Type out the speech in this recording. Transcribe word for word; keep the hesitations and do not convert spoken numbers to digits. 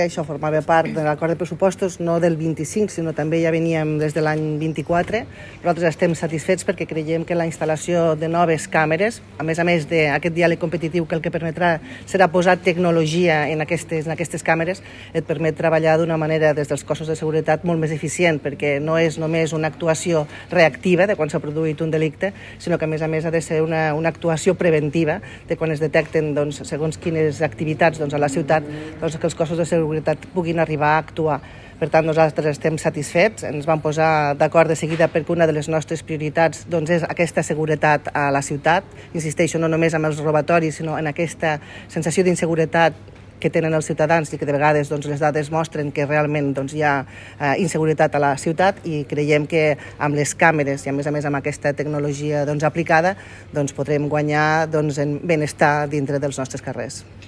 Això formava part de l'acord de pressupostos, no del vint-i-cinc, sinó també ja veníem des de l'any vint-i-quatre. Nosaltres estem satisfets perquè creiem que la instal·lació de noves càmeres, a més a més d'aquest diàleg competitiu que el que permetrà serà posar tecnologia en aquestes, en aquestes càmeres, et permet treballar d'una manera des dels cossos de seguretat molt més eficient, perquè no és només una actuació reactiva de quan s'ha produït un delicte, sinó que a més a més ha de ser una, una actuació preventiva de quan es detecten doncs, segons quines activitats doncs, a la ciutat, doncs, que els cossos de seguretat puguin arribar a actuar. Per tant, nosaltres estem satisfets, ens vam posar d'acord de seguida perquè una de les nostres prioritats doncs, és aquesta seguretat a la ciutat. Insisteixo, no només amb els robatoris, sinó en aquesta sensació d'inseguretat que tenen els ciutadans i que de vegades doncs, les dades mostren que realment doncs, hi ha eh, inseguretat a la ciutat, i creiem que amb les càmeres i a més a més amb aquesta tecnologia doncs, aplicada doncs, podrem guanyar doncs, en benestar dintre dels nostres carrers.